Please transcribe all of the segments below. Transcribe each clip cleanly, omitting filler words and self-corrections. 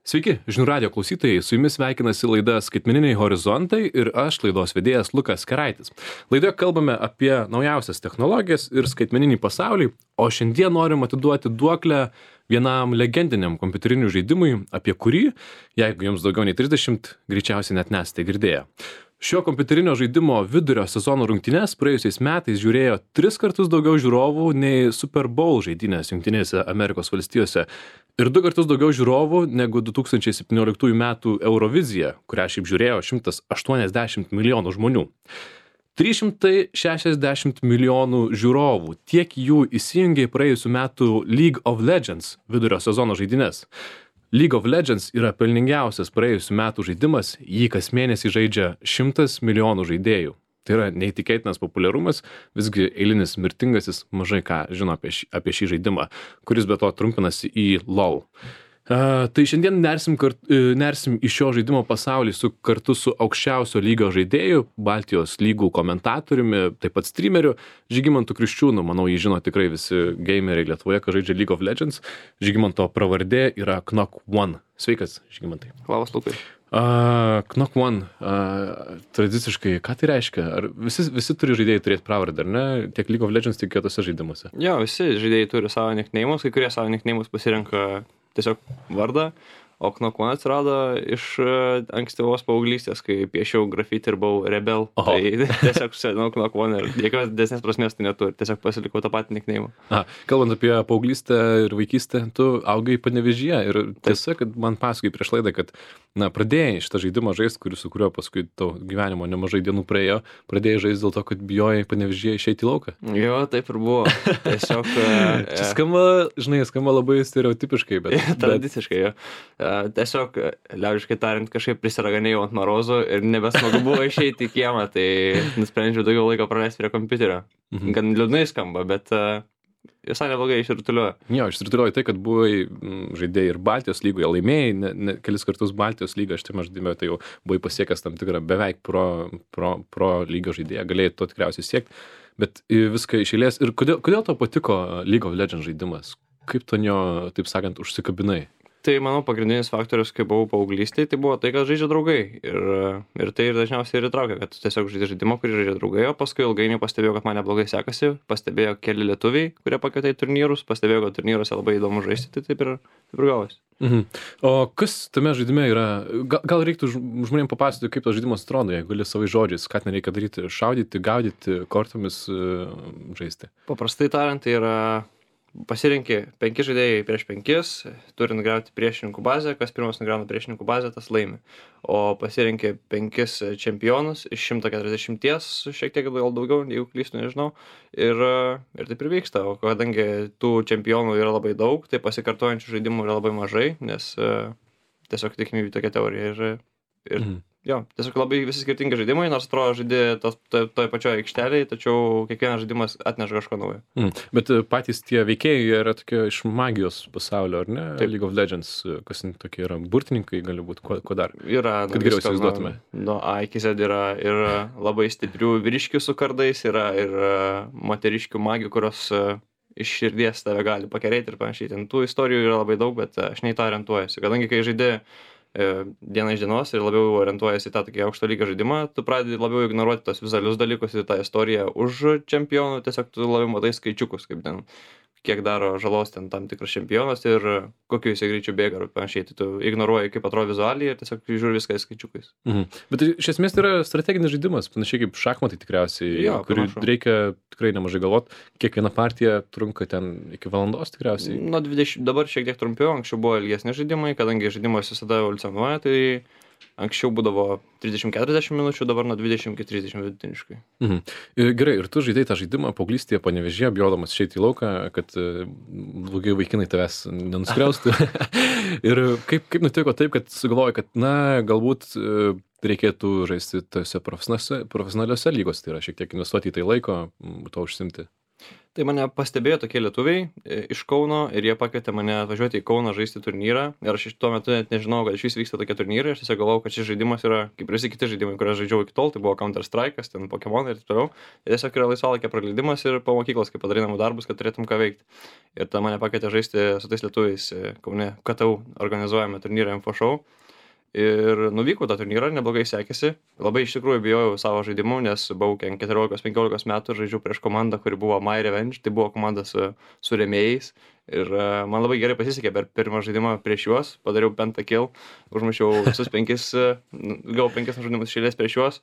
Sveiki, žinių radijo klausytojai, su jumis sveikinasi laida Skaitmeniniai horizontai ir aš laidos vedėjas Lukas Keraitis. Laidoje kalbame apie naujausias technologijas ir skaitmeninį pasaulį, o šiandien norim atiduoti duoklę vienam legendiniam kompiuterinių žaidimui, apie kurį, jeigu jums daugiau nei 30, greičiausiai net nesate girdėję. Šio kompiuterinio žaidimo vidurio sezono rungtynes praėjusiais metais žiūrėjo 3 kartus daugiau žiūrovų nei Super Bowl žaidynės Jungtinėse Amerikos valstijose ir 2 kartus daugiau žiūrovų negu 2017 metų Eurovizija, kurią šiaip žiūrėjo 180 milijonų žmonių. 360 milijonų žiūrovų, tiek jų įsijungė praėjusių metų League of Legends vidurio sezono žaidynės. League of Legends yra pelningiausias praėjusių metų žaidimas, jį kas mėnesį žaidžia 100 milijonų žaidėjų. Tai yra neįtikėtinas populiarumas, visgi eilinis mirtingasis mažai ką žino apie šį žaidimą, kuris be to trumpinasi į LOL. Tai šiandien nersim į šio žaidimo pasaulį kartu su aukščiausio lygio žaidėju, Baltijos lygų komentatoriumi, taip pat streameriu, Žygimantu Kriščiūnu. Manau, jį žino tikrai visi gameriai Lietuvoje, kai žaidžia League of Legends. Žygimanto pravardė yra Knock1. Sveikas, Žygimantai. Labas, Lukai. Knock1, tradiciškai, ką tai reiškia? Ar visi turi žaidėjai turėti pravardę, ar ne? Tiek League of Legends, tiek kitose žaidimuose. Jo, visi žaidėjai turi savo nickname'us, kai kurie savo nickname'us pasirenka tiesiog vardą, o Knock1 atsirado iš ankstyvos paauglystės, kai piešiau grafitį ir buvau rebel. Tai tiesiog senau Knock1 ir jokios didesnės prasmės tai neturi, tiesiog pasilikau tą patį nickname'ą. Kalbant apie paauglystę ir vaikystę, tu augai Panevėžyje ir tiesa, kad man pasakai prieš laidą, kad pradėjai šitą žaidimą žaisti, su kuriuo paskui tau gyvenimo nemažai dienų praėjo, pradėjai žaisti dėl to, kad bijojai Panevėžyje išeiti į lauką. Jo, taip ir buvo. Tiesiog... Čia skamba labai stereotipiškai, bet... Tradiciškai, jo. Tiesiog, liaudiškai tariant, kažkaip prisiraganėjau ant marozų ir nebesmagu buvo išeiti į kiemą, tai nusprendžiau daugiau laiko praleisti prie kompiuterio. Gan liūdnai skamba, bet visai neblogai išsirutuliojo. Jo, išsirutuliojo tai, kad buvai žaidėjai ir Baltijos lygoje, laimėjai kelis kartus Baltijos lygą, aš žaidime, tai jau buvai pasiekęs tam tikrą beveik pro lygio žaidėją, galėjai to tikriausiai siekti, bet viską iš eilės. Ir kodėl tau patiko League of Legends žaidimas? Kaip tu jo, taip sakant, užsikabinai? Tai, manau, pagrindinis faktorius, kai buvau paauglystėje, tai buvo tai, kad žaidžia draugai. Ir tai ir dažniausiai ir įtraukia, kad tiesiog žaidžia žaidimą, kurį žaidžia draugai, o paskui ilgainiui pastebėjau, kad man neblogai sekasi, pastebėjo keli lietuviai, kurie pakvietė į turnyrus, pastebėjau, kad turnyruose labai įdomu žaisti, tai taip ir gavosi. O kas tame žaidime yra? Gal reiktų žmonėms papasakoti, kaip tas žaidimas atrodo, jeigu gali savai žodžiais, ką ten reikia daryti, šaudyti, gaudyti, kortomis žaisti? Paprastai tariant, tai yra... Pasirinki 5 žaidėjai prieš 5, turi nugriauti priešininkų bazę, kas pirmas nugriauna priešininkų bazę, tas laimi. O pasirinki 5 čempionus iš 140, šiek tiek gal daugiau, jeigu klystu, nežinau, ir taip ir vyksta. O kadangi tų čempionų yra labai daug, tai pasikartojančių žaidimų yra labai mažai, nes tiesiog tikimybė tokia teorija ir jo, tiesiog labai visi skirtingi žaidimai, nors atrodo žaidė toj pačioje aikštelėje, tačiau kiekvienas žaidimas atneša kažko naujo. Bet patys tie veikėjai yra tokie iš magijos pasaulio, ar ne? Taip. League of Legends, kas tokie yra burtininkai, gali būti, ko dar? Yra, kad geriau įsivaizduotume. Nuo A iki Z yra ir labai stiprių vyriškių su kardais, yra ir moteriškių magių, kurios iš širdies tave gali pakerėti ir panašiai. Ten tų istorijų yra labai daug, bet aš nei to orientuojuosi. Kadangi kai žaidė diena iš dienos ir labiau orientuojasi į tą tokį aukšto lygio žaidimą, tu pradedi labiau ignoruoti tos vizualius dalykus ir tą istoriją už čempionų, tiesiog tu labiau matai skaičiukus, kaip ten, kiek daro žalos ten tam tikras čempionas ir kokiu jisai greičiu bėga ir panašiai. Tai tu ignoruoji, kaip atrodo vizualiai ir tiesiog žiūri viską skaičiukais. Bet iš esmės tai yra strateginis žaidimas, panašiai kaip šachmatai tikriausiai, kurį reikia tikrai nemažai galvot. Kiekviena partija trunka ten iki valandos tikriausiai. Nuo 20, dabar šiek tiek trumpiau, anksčiau buvo ilgesni žaidimai, kadangi žaidimas visada evoliucionuoja, tai anksčiau būdavo 30-40 minučių, dabar nuo 20 iki 30 vidutiniškai. Gerai, ir tu žaidai tą žaidimą paauglystėje Panevėžyje, bijodamas išeiti į lauką, kad blogai vaikinai tavęs nenuskriaustų. Ir kaip nutiko taip, kad sugalvojai, kad galbūt reikėtų žaisti tose profesionaliuose lygos, tai yra šiek tiek investuoti į tai laiko, to užsimti? Tai mane pastebėjo tokie lietuviai iš Kauno ir jie pakvietė mane atvažiuoti į Kauną žaisti turnyrą. Ir aš iš tuo metu net nežinau, kad iš vis vyksta tokie turnyrai. Aš tiesiog galvojau, kad šis žaidimas yra kaip ir visi kiti žaidimai, kuriuos žaidžiau iki tol. Tai buvo Counter Strike'as, ten Pokemonai ir taip toliau. Ir tiesiog yra laisvalaikio praleidimas ir po mokyklos, kaip padarai namų darbus, kad turėtum ką veikti. Ir tada mane pakvietė žaisti su tais lietuviais Kaune KTU organizuojame turnyrą Info Show. Ir nuvykau tą turnyrą, neblogai sekėsi. Labai iš tikrųjų bijojau savo žaidimų, nes buvau 14-15 metų ir žaidžiau prieš komandą, kuri buvo My Revenge. Tai buvo komanda su rėmėjais. Ir man labai gerai pasisekė per pirmą žaidimą prieš juos. Padariau pentakill, užmušiau visus 5, gavau 5 žaidimus išėlės prieš juos.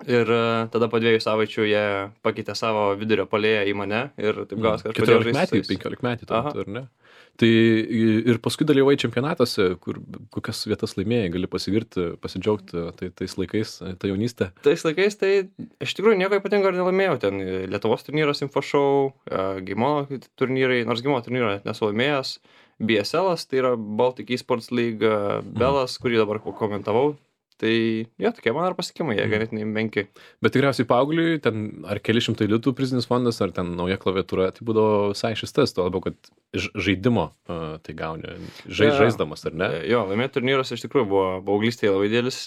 Ir tada po 2 savaičių jie pakeitė savo vidurio puolėją į mane. Ir taip gavos, kad aš pradėjau žaisti. 15 metų, ar ne? Tai ir paskui dalyvai čempionatuose, kur kokias vietas laimėjai, gali pasigirti, pasidžiaugti tais laikais, tą jaunystę. Tais laikais tai iš tikrųjų nieko ypatingo ir nelaimėjau. Ten Lietuvos turnyras Info Show, Gimo turnyrai, nors Gimo turnyrą nesu laimėjęs, BSL'as, tai yra Baltic Esports League, Belas, kurį dabar komentavau. Tai jo, tokie man ar pasiekimai, jie ganėtinai menki. Bet tikriausiai paaugliui, ten ar keli šimtai litų prizinis fondas, ar ten nauja klaviatūra, tai būdavo visai šis tas, tuo labiau, kad žaidimo tai gauni, žaisdamas, ar ne? Jo, laimėti turnyras iš tikrųjų buvo paauglystėje labai didelis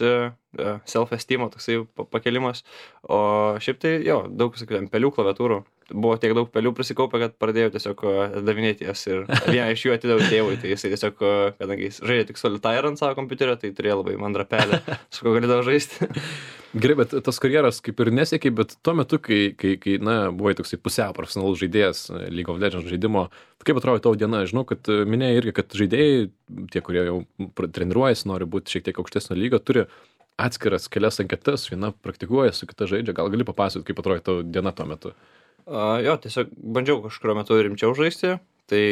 self-esteemo toksai pakelimas, o šiaip tai jo, daug, sakykime, pelių klaviatūrų. Buvo tiek daug pelių prisikaupę, kad pradėjau tiesiog atidavinėti jas ir vieną iš jų atidaviau tėvui, tai jisai tiesiog, kadangi jis žaidė tik Solitaire ant savo kompiuterio, tai turėjo labai mandrą pelę, su ko galėdavo žaisti. Gerai, bet tas karjeras kaip ir nesiekiai, bet tuo metu, kai buvai toksai pusiau profesionalus žaidėjas League of Legends žaidimo, kaip atrodo tavo diena? Žinau, kad minėjai irgi, kad žaidėjai, tie, kurie jau treniruojasi, nori būti šiek tiek aukštesnio lygio, turi atskiras kelias anketas, viena praktikuoja, su kita žaidžia. Gal gali papasakoti, kaip atrodo tavo diena tuo metu? Jo, tiesiog bandžiau kažkurio metu rimčiau žaisti, tai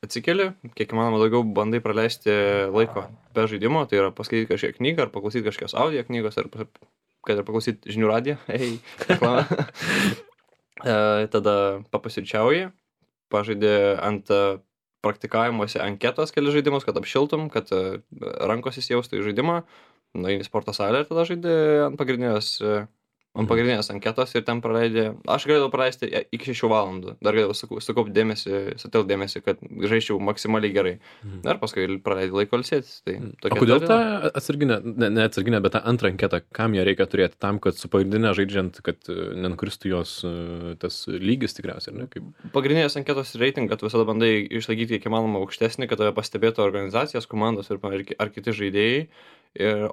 atsikeli, kiek įmanoma daugiau bandai praleisti laiko be žaidimo, tai yra paskaityti kažkiek knygą, ar paklausyti kažkokios audio knygos, ar kad ir paklausyti žinių radiją, tada papasirčiauji, pažaidė ant praktikavimuose anketos keli žaidimus, kad apšiltum, kad rankos įsijaustų į žaidimą, nueini į sporto salę ir tada žaidė ant pagrindinės anketos ir ten praleidė, aš galėjau praleisti iki 6 valandų, dar galėjau sukaupti dėmesį, sutelkti dėmesį, kad žaisčiau maksimaliai gerai. Ir paskui praleidai laiko ilsėtis. Tai o kodėl tą atsarginę, ne atsarginę, bet tą antrą anketą, kam ją reikia turėti? Tam, kad su pagrindinė žaidžiant, kad nenukristų jos tas lygis tikriausiai, ar ne? Kaip... Pagrindinės anketos reiting, kad visada bandai išlaikyti kiek įmanoma aukštesnį, kad tave pastebėtų organizacijos, komandos ar kiti žaidėjai.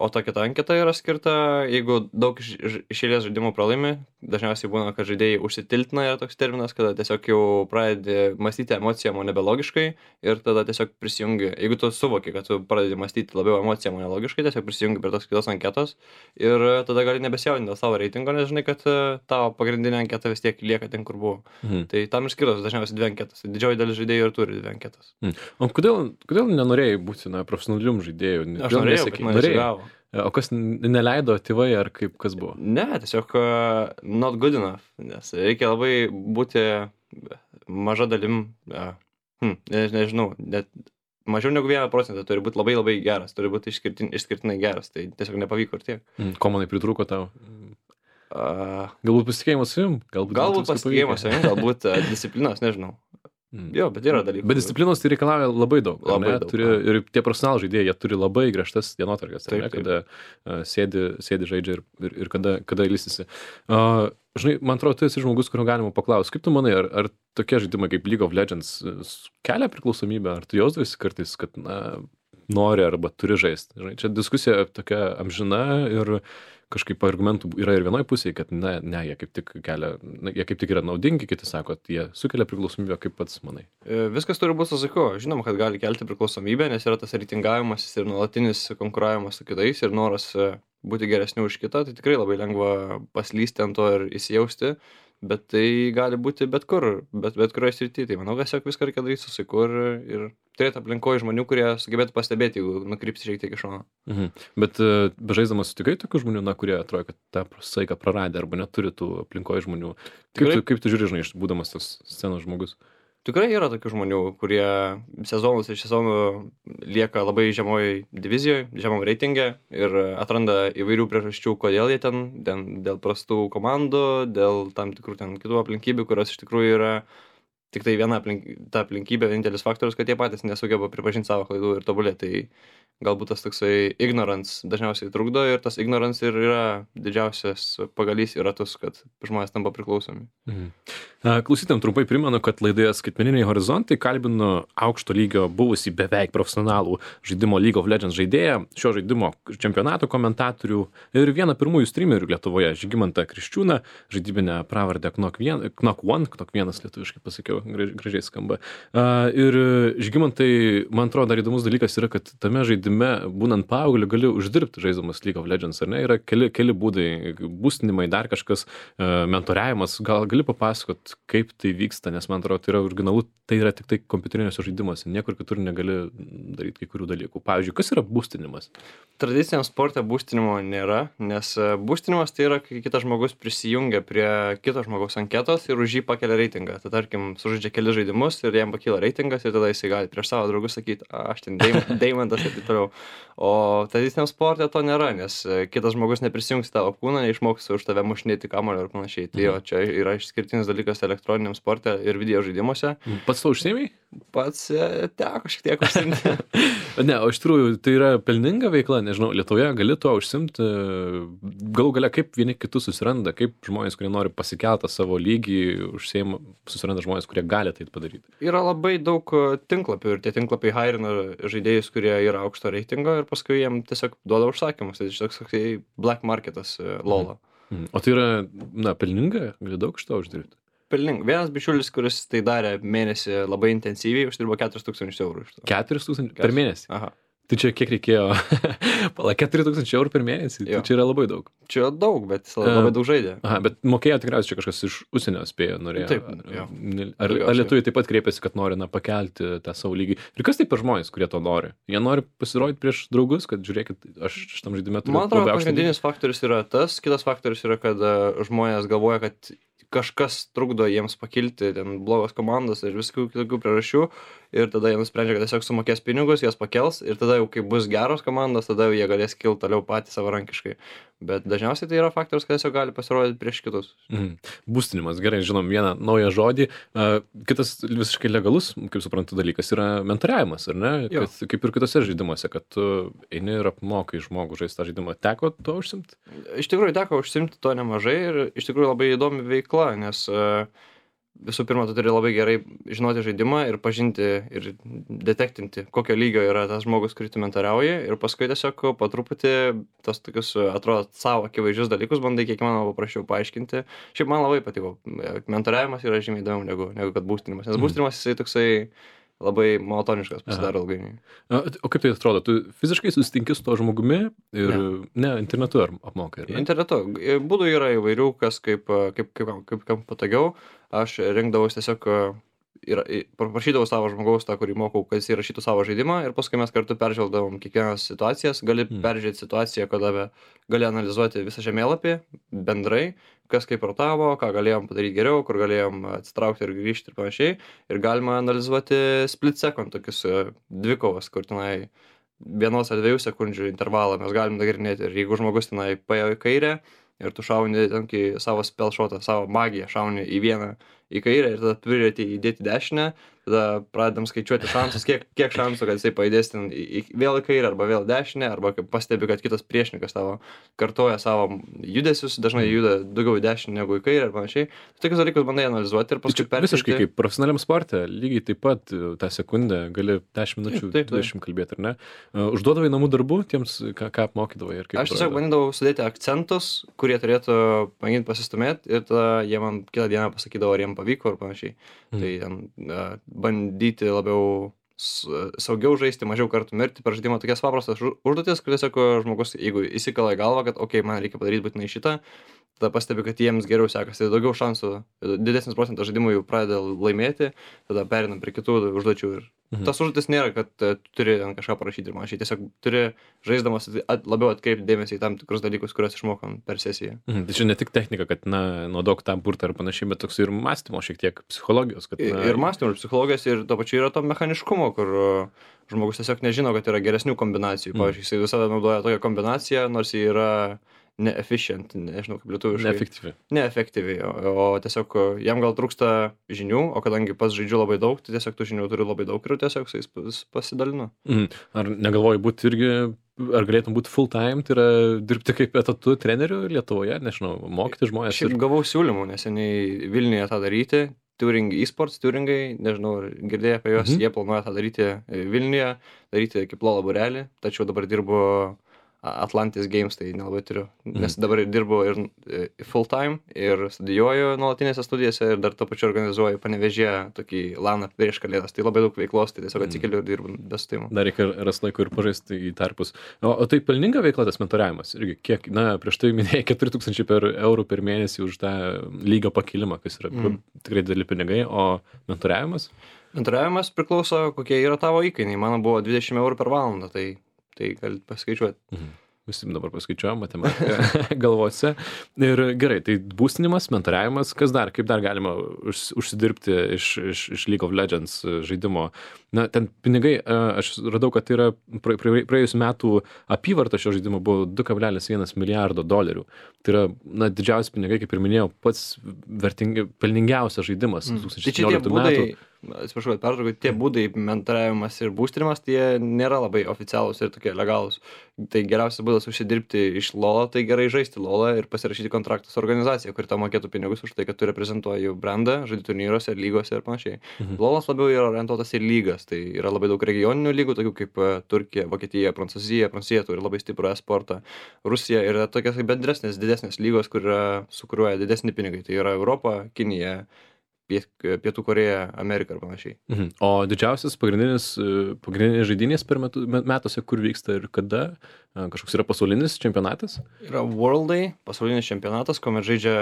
O ta kita anketa yra skirta, jeigu daug išėlės žaidimų pralaimi, dažniausiai būna, kad žaidėjai užsitiltina, yra toks terminas, kada tiesiog jau pradedi mąstyti emocijom, o nebe logiškai ir tada tiesiog prisijungi, jeigu tu suvoki, kad tu pradedi mąstyti labiau emocijom, o ne logiškai, tiesiog prisijungi prie tos kitos anketos ir tada gali nebesijaudinti dėl savo reitingo, nes žinai, kad tavo pagrindinė anketa vis tiek lieka ten, kur buvo. Tai tam ir skirtos dažniausiai 2 anketas. Didžioji dalis žaidėjų ir turi 2 anketas. O kodėl nenorėjai būti profesionalium žaidėjų? Aš norėjau, bet man nesigavo. O kas neleido tėvai ar kaip kas buvo? Ne, tiesiog not good enough, nes reikia labai būti maža dalim, nežinau, net mažiau negu 1% turi būti labai labai geras, turi būti išskirtinai geras, tai tiesiog nepavyko ir tiek. Ko manai pritrūko tau? Galbūt pasitikėjimas savim? Galbūt pasitikėjimas savim, galbūt disciplinos, nežinau. Jo, bet yra dalykų. Bet disciplinos tai reikalauja labai daug. Labai daug. Ir tie profesionalų žaidėjai, jie turi labai griežtas dienotvarkes, kada sėdi žaidžia ir kada ilsisi. Žinai, man atrodo, tu esi žmogus, kurio galima paklausti. Kaip tu manai, ar tokie žaidimai kaip League of Legends kelia priklausomybę, ar tu jausdavai kartais, kad nori arba turi žaisti? Žinai, čia diskusija tokia amžina ir kažkaip argumentų yra ir vienoj pusėje, kad ne, jie kaip tik yra naudingi, kiti sako, kad jie sukelia priklausomybę, kaip pats manai. Viskas turi būti su saiku. Žinoma, kad gali kelti priklausomybę, nes yra tas reitingavimas ir nuolatinis konkuravimas su kitais ir noras būti geresniu už kitą, tai tikrai labai lengva paslysti ant to ir įsijausti, bet tai gali būti bet kur, bet kurioje srityje. Tai manau, tiesiog viską reikia daryti su saiku ir turėti aplinkoje žmonių, kurie sugebėtų pastebėti, jeigu nukrypsi šiek tiek iš šono. Bet bežaisdamas sutikai tokių žmonių, kurie atrodo, kad tą saiką praradė arba neturi tų aplinkoje žmonių. Kaip tu žiūri, žinai, būdamas tas scenos žmogus? Tikrai yra tokių žmonių, kurie sezonus iš sezonų lieka labai žemoj divizijoje, žemam reitinge ir atranda įvairių priežasčių, kodėl jie dėl prastų komandų, dėl tam tikrų ten kitų aplinkybių, kurios iš tikrųjų yra tik tai ta aplinkybė, vienintelis faktorius, kad jie patys nesugeba pripažinti savo klaidų ir tobulėti. Tai galbūt tas toksai ignorance dažniausiai trukdo ir tas ignorance ir yra didžiausias pagalys į ratus, kad žmonės tampa priklausomi. Klausytėm trumpai primenu, kad laidoje Skaitmeniniai horizontai kalbinu aukšto lygio buvusį beveik profesionalų žaidimo League of Legends žaidėją, šio žaidimo čempionato komentatorių ir vieną pirmųjų streamerių Lietuvoje, Žygimantą Kriščiūną, žaidybinę pravardę Knock1 lietuviškai pasakiau, gražiai skamba. Ir Žygimantai, man atrodo, dar įdomus dalykas yra, kad tame žaidime, būnant paaugliu, gali uždirbti žaisdamas League of Legends, ar ne? Yra keli būdai, būstinimai, dar kažkas, mentoriavimas. Gal gali papasakot, kaip tai vyksta, nes man atrodo, tai yra originalu, tai yra tik tai kompiuteriniuose žaidimuose, niekur kitur negali daryti kai kurių dalykų. Pavyzdžiui, kas yra būstinimas? Tradiciniam sporte būstinimo nėra, nes būstinimas tai yra, kai kitas žmogus prisijungia prie kito žmogaus anketos ir už jį pakelia reitingą. Tai tarkim, sužaidžia keli žaidimus ir jam pakyla reitingas ir tada jisai gali prieš savo draugus sakyti, aš ten deimantas ir taip toliau. O tradiciniam sporte to nėra, nes kitas žmogus neprisijungs tavo kūną, neišmoks už tave mušinėti kamuolio ir panašiai. Tai jo, čia yra išskirtinis dalykas elektroniniam sporte ir video žaidimuose. Pats to užsiėmei? Pats teko šiek tiek užsiimti. Ne, o iš tikrųjų tai yra pelninga veikla, nežinau, Lietuvoje gali to užsiimti, galų gale kaip vieni kitus susiranda, kaip žmonės, kurie nori pasikeltą savo lygį, susiranda žmonės, kurie gali tai padaryti. Yra labai daug tinklapių ir tie tinklapiai hairina žaidėjus, kurie yra aukšto reitingo ir paskui jiem tiesiog duoda užsakymus. Tai toks black marketas LoL'o. O tai yra, pelninga, gali daug iš to uždirbti? Pelninga. Vienas bičiulis, kuris tai darė mėnesį labai intensyviai, uždirbo 4,000 eurų iš to. 4,000 per mėnesį? Aha. Tai čia kiek reikėjo? 4,000 eurų per mėnesį? Tai čia yra labai daug. Čia daug, bet jis labai daug žaidė. Aha, bet mokėjo tikriausiai čia kažkas iš užsienio spėjo, norėjo. Taip, jo. Ar lietuviai taip pat kreipėsi, kad nori pakelti tą savo lygį? Ir kas tai per žmonės, kurie to nori? Jie nori pasirodyti prieš draugus, kad žiūrėkit, aš šitam žaidime turiu. Man atrodo, pagrindinis faktorius yra tas, kitas faktorius yra, kad žmonės galvoja, kad kažkas trukdo jiems pakilti, ten blogos komandos ir viskų kitokių priežasčių ir tada jie nusprendžia, kad tiesiog sumokės pinigus, jas pakels ir tada jau kai bus geros komandos, tada jau jie galės kilti toliau patys savarankiškai. Bet dažniausiai tai yra faktorius, kad tiesiog gali pasirodyti prieš kitus. Būstinimas, gerai, žinom vieną naują žodį. Kitas visiškai legalus, kaip suprantu, dalykas yra mentoriavimas, ar ne? Kad, kaip ir kitose žaidimuose, kad tu eini ir apmokai žmogų žaisti tą žaidimą. Teko to užsimti? Iš tikrųjų, teko užsimti to nemažai ir iš tikrųjų labai įdomi veikla, nes visų pirma, tu turi labai gerai žinoti žaidimą ir pažinti ir detektinti, kokio lygio yra tas žmogus, kurį tu mentoriauji ir paskui tiesiog po truputį tos tokius, atrodo, savo akivaizdžius dalykus bandai kiek įmanoma paprasčiau paaiškinti. Šiaip man labai patiko. Mentoriavimas yra žymiai įdomiau negu kad būstinimas, nes būstinimas jisai toksai labai monotoniškas pasidaro ilgainiui. O kaip tai atrodo? Tu fiziškai susitinki su to žmogumi ir internetu ar apmokai? Ar ne? Internetu. Būdų yra įvairių, kas kaip patogiau. Aš rinkdavausi tiesiog paprašydavau savo žmogaus, tą, kurį mokau, kad jis įrašytų savo žaidimą ir paskui mes kartu peržvelgdavom kiekvienas situacijas. Gali peržiūrėti situaciją, kada gali analizuoti visą žemėlapį bendrai, kas kaip rotavo, ką galėjom padaryti geriau, kur galėjom atsitraukti ir grįžti ir panašiai. Ir galima analizuoti split second tokius dvikovas, kur tenai 1 ar 2 sekundžių intervalą mes galim nagrinėti. Ir jeigu žmogus tenai paėjo į kairę ir tu šauni savo spellshotą, savo magiją, šauni į vieną į kairę ir tada turėti įdėti dešinę, tada pradedam skaičiuoti šansus, kiek šansų, kad jisai pajudės ten vėl į kairę arba vėl dešinę, arba pastebi, kad kitas priešininkas tavo kartoja savo judesius, dažnai juda daugiau į dešinę negu į kairę ir panašiai. Tokius dalykus bandai analizuoti ir paskui peržiūrėti. Visiškai kaip profesionaliam sporte, lygiai taip pat tą sekundę gali 10 minučių, 20 kalbėti, ar ne? Užduodavai namų darbų tiems, ką apmokydavai ir kaip? Aš tiesiog bandydavau sudėti akcentus, kurie turėtų mėginti pasistumėti ir tada jie man kitą dieną pasakydavo, ar jiem pavyko ir panašiai. Tai bandyti labiau saugiau žaisti, mažiau kartų mirti per žaidimą, tokias paprastas užduotis, kur tiesiog žmogus, jeigu įsikala į galvą, kad man reikia padaryti būtinai šitą, tada pastebi, kad jiems geriau sekasi, daugiau šansų, didesnis procentas žaidimų jau pradeda laimėti, tada perinam prie kitų užduočių ir tas užduotis nėra, kad turi kažką parašyti ir panašiai, tiesiog turi žaisdamas labiau atkreipti dėmesį į tam tikrus dalykus, kuriuos išmokom per sesiją. Tai čia ne tik technika, kad naudok tą burtą ir panašiai, bet toks ir mąstymo šiek tiek psichologijos. Kad, ir mąstymo, ir psichologijos, ir to pačiu yra to mechaniškumo, kur žmogus tiesiog nežino, kad yra geresnių kombinacijų. Pavyzdžiui, jisai visada naudoja tokią kombinaciją, nors jį yra neefficient, nežinau kaip lietuviškai. Neefektyvi, o tiesiog jam gal trūksta žinių, o kadangi pats žaidžiu labai daug, tai tiesiog tų žinių turiu labai daug ir tiesiog su jais pasidalinu. Ar negalvoji būti irgi, ar galėtum būti full time, tai yra dirbti kaip etatu treneriu Lietuvoje, nežinau, mokyti žmonės? Šiaip gavau siūlymų, neseniai Vilniuje tą daryti. Turing eSports, Turingai, nežinau, girdėjai apie juos, jie planuoja tą daryti Vilniuje, daryti kaip LoL būrelį, tačiau dabar dirbu Atlantis Games, tai nelabai turiu, nes dabar dirbu ir full time ir studijuoju nuolatinėse studijose ir dar to pačiu organizuoju Panevėžyje tokį laną prieš kalėdas, tai labai daug veiklos, tai tiesiog atsikeliu ir dirbu be sutimo. Dar reikia rast laiko ir pažaisti į tarpus. O tai pelninga veikla tas mentoriavimas? Irgi kiek, prieš tai minėjai 4000 eurų per mėnesį už tą lygio pakilimą, kas yra tikrai dideli pinigai, o mentoriavimas? Mentoriavimas priklauso, kokie yra tavo įkainiai. Mano buvo 20 eurų per valandą, tai galite paskaičiuoti. Visi dabar paskaičiuojam matematiką galvose. Ir gerai, tai būstinimas, mentoriavimas, kas dar, kaip dar galima užsidirbti iš League of Legends žaidimo? Ten pinigai, aš radau, kad tai yra praėjusių metų apyvarta šio žaidimo buvo 2,1 milijardo dolerių. Tai yra, didžiausi pinigai, kaip ir minėjau, pats pelningiausias žaidimas 2017 metų. Atsiprašau, pertraukiu, tie būdai mentoriavimas ir būstinimas, tie nėra labai oficialūs ir tokie legalūs. Tai geriausias būdas užsidirbti iš LoL'o, tai gerai žaisti LoL'ą ir pasirašyti kontraktą su organizacija, kuri tau mokėtų pinigus už tai, kad tu reprezentuoji jų brandą, žaidži turnyruose, lygose ir panašiai. LoL'as labiau yra orientuotas į lygas, tai yra labai daug regioninių lygų, tokių kaip Turkija, Vokietija, Prancūzija turi labai stiprų e-sportą, Rusija yra tokios bendresnės, didesnės lygos, kur sukuriuoja didesni pinigai, tai yra Europa, Kinija, Pietų Koreja, Amerika ir panašiai. O didžiausias pagrindinės žaidynės per metuose, kur vyksta ir kada? Kažkoks yra pasaulinis čempionatas? Yra Worldai, pasaulinis čempionatas, kuomet žaidžia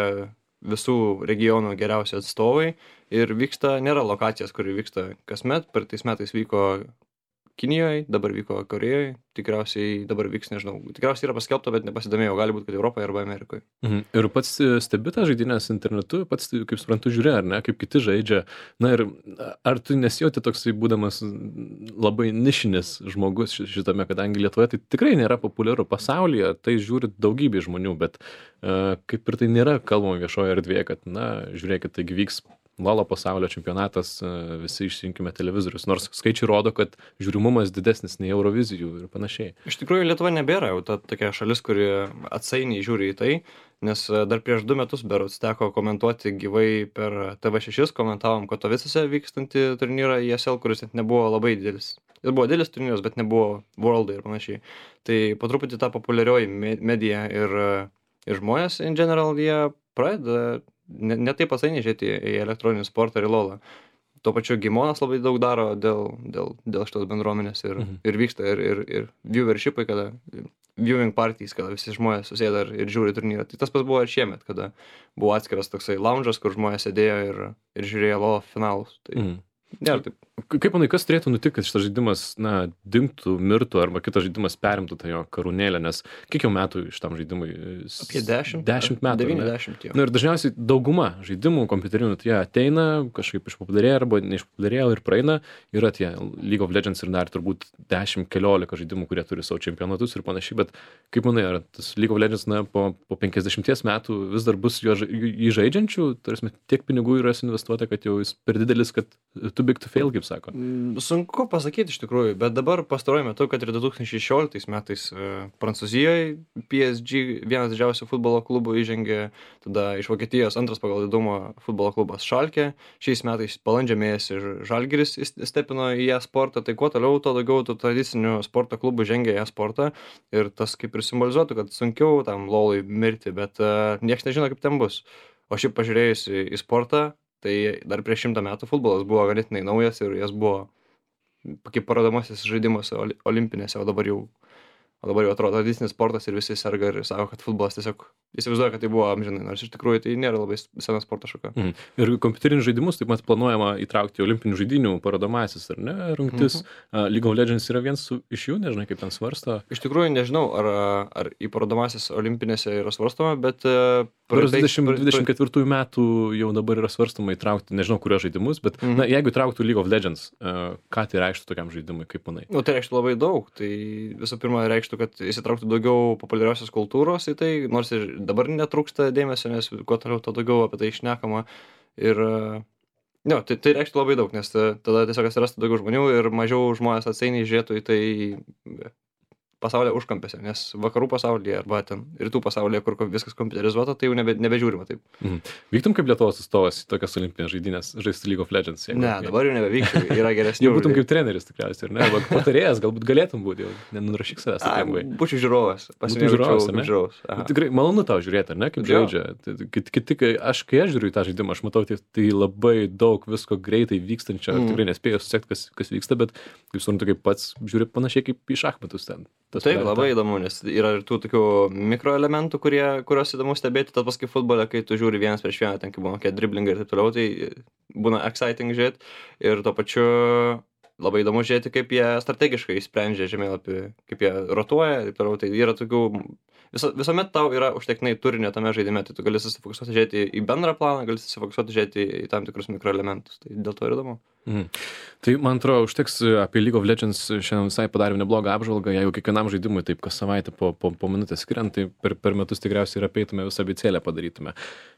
visų regionų geriausi atstovai ir nėra lokacijos, kuri vyksta kasmet, per tais metais vyko Kinijoje, dabar vyko Korejoje, tikriausiai dabar vyks, nežinau, tikriausiai yra paskelbta, bet nepasidomėjau, gali būti, kad Europoje arba Amerikoje. Ir pats stebi tą žaidynės internetu, pats, kaip suprantu, žiūri, ar ne, kaip kiti žaidžia. Ir ar tu nesijauti toksai būdamas labai nišinis žmogus šitame, kadangi Lietuvoje tai tikrai nėra populiaru pasaulyje, tai žiūri daugybė žmonių, bet kaip ir tai nėra kalbama viešoje erdvėje, kad, žiūrėkit, taigi vyks LoL'o pasaulio čempionatas, visi išsijunkime televizorius, nors skaičiai rodo, kad žiūrimumas didesnis nei Eurovizijų ir panašiai. Iš tikrųjų, Lietuva nebėra jau ta tokia šalis, kuri atsainiai žiūri į tai, nes dar prieš 2 metus berods teko komentuoti gyvai per TV6, komentavom Katovicose vykstantį turnyrą ESL, kuris net nebuvo labai didelis. Jis buvo didelis turnyras, bet nebuvo Worldai ir panašiai. Tai po truputį ta populiarioji medija ir žmonės in general, jie pradeda ne taip atsainiai žiūrėti į elektroninį sportą ir į LoL'ą. Tuo pačiu Gimonas labai daug daro dėl šitos bendruomenės ir vyksta ir viewershipai, kada viewing parties, kada visi žmonės susėda ir žiūri turnyrą. Tai tas pas buvo ir šiemet, kada buvo atskiras toksai lounge'as, kur žmonės sėdėjo ir žiūrėjo LoL finalus. Tai nėra taip. Kaip manai, kas turėtų nutikti, kad šitas žaidimas, dingtų, mirtų, arba kitas žaidimas perimtų tą jo karūnėlę, nes kiek jau metų šitam žaidimui? Apie 10 metų. 90 jau. Ir dažniausiai dauguma žaidimų kompiuterinių, tai jie ateina, kažkaip išpopuliarėja arba neišpopuliarėja ir praeina. Yra tie League of Legends ir dar turbūt 10-15 žaidimų, kurie turi savo čempionatus ir panašiai, bet kaip manai, ar tas League of Legends po 50 metų vis dar bus jį žaidžiančių, tarsi tiek pinigų yra investuota, kad jau jis per didelis, kad too big to fail, kaip sako. Sunku pasakyti iš tikrųjų, bet dabar pastaruoju metu, kad ir 2016 metais Prancūzijoje PSG vienas didžiausių futbolo klubų įžengė, tada iš Vokietijos antras pagal didumą futbolo klubas Schalke, šiais metais balandžio mėnesį Žalgiris įstepino į e-sportą, tai kuo toliau, to daugiau tų tradicinių sporto klubų žengia į e-sportą ir tas kaip ir simbolizuotų, kad sunkiau tam LoL'ui mirti, bet niekas nežino, kaip ten bus. O šiaip pažiūrėjus į sportą, tai dar prieš 100 metų futbolas buvo ganėtinai naujas ir jas buvo kaip parodomasis žaidimas olimpinėse, o dabar jau O dabar jau atrodo tradicinis sportas ir visi serga ir sako, kad futbolas tiesiog įsivaizduoja, kad tai buvo amžinai, nors iš tikrųjų tai nėra labai sena sporto šaka. Ir kompiuterinius žaidimus taip pat planuojama įtraukti į olimpinių žaidynių parodomasis, ar ne, rungtis. League of Legends yra vienas iš jų, nežinai, kaip ten svarsto. Iš tikrųjų nežinau, ar į parodomasis olimpinėse yra svarstoma, bet 2024 metų jau dabar yra svarstoma įtraukti, nežinau, kurios žaidimus, bet na, jeigu įtrauktų League of Legends, ką tai reikštų tokiam žaidimui, kaip manai? Nu, tai reikštų labai daug. Tai visų pirma reikštų, kad įsitrauktų daugiau populiariausios kultūros į tai, nors ir dabar netrūksta dėmesio, nes kuo toliau, to daugiau apie tai šnekama. Ir tai reikštų labai daug, nes tada tiesiog atsirastų daugiau žmonių ir mažiau žmonės atsainiai žiūrėtų į tai pasaulio užkampėse, nes vakarų pasaulyje arba ten rytų pasaulyje, kur viskas kompiuterizuota, tai jau nebežiūrima taip. Vyktum kaip Lietuvos atstovas į tokias olimpinės žaidynės žaisti League of Legends? Ne, dabar jau nebevykčiau, yra geresnių. Jau būtum kaip treneris tikriausiai, ar ne? Arba patarėjas, galbūt galėtum būti, jau nenurašyk savęs taip lengvai. Būčiau žiūrovas, žiūrovas. Tikrai malonu tau žiūrėti, ar ne, kaip žaidžia. Kai aš žiūriu į tą žaidimą, aš matau, tai labai daug visko greitai vykstančio, tikrai nespėjau susekti, kas vyksta, bet kaip suprantu, kaip pats žiūri panašiai kaip į šachmatus ten. Taip, labai įdomu, nes yra ir tų tokių mikroelementų, kuriuos įdomu stebėti, tad paskui futbole, kai tu žiūri vienas prieš vieną, ten kaip būna kokie driblingai ir taip toliau, tai būna exciting žiūrėti ir tuo pačiu labai įdomu žiūrėti, kaip jie strategiškai sprendžia žemėlapį, kaip jie rotuoja ir taip toliau, tai yra tokių, visuomet tau yra užtektinai turinio tame žaidime, tai tu gali susifokusuoti žiūrėti į bendrą planą, gali susifokusuoti žiūrėti į tam tikrus mikroelementus, tai dėl to yra įdomu. Tai man atrodo, užteks apie League of Legends šiandien visai padarėm neblogą apžvalgą, jeigu kiekvienam žaidimui taip kas savaitę po minutę skiriant, tai per metus tikriausiai ir apeitume visą abėcėlę padarytume.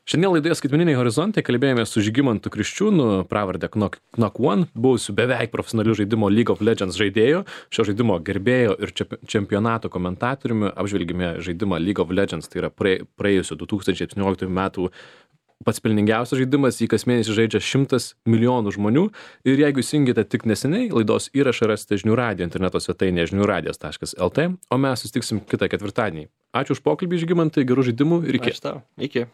Šiandien laidoje Skaitmeniniai horizontai kalbėjome su Žygimantu Kriščiūnu, pravarde Knock One, buvusiu beveik profesionaliu žaidimo League of Legends žaidėju, šio žaidimo gerbėjo ir čempionato komentatoriumi. Apžvelgime žaidimą League of Legends, tai yra praėjusio 2017 metų pats pelningiausias žaidimas, jį kas mėnesį žaidžia 100 milijonų žmonių ir jeigu įsijungėte tik neseniai, laidos įrašą rasite žinių radijo interneto svetainėje žiniųradijas.lt, o mes susitiksim kitą ketvirtadienį. Ačiū už pokalbį, Žygimantai, gerų žaidimų ir iki. Ačiū tau. Iki.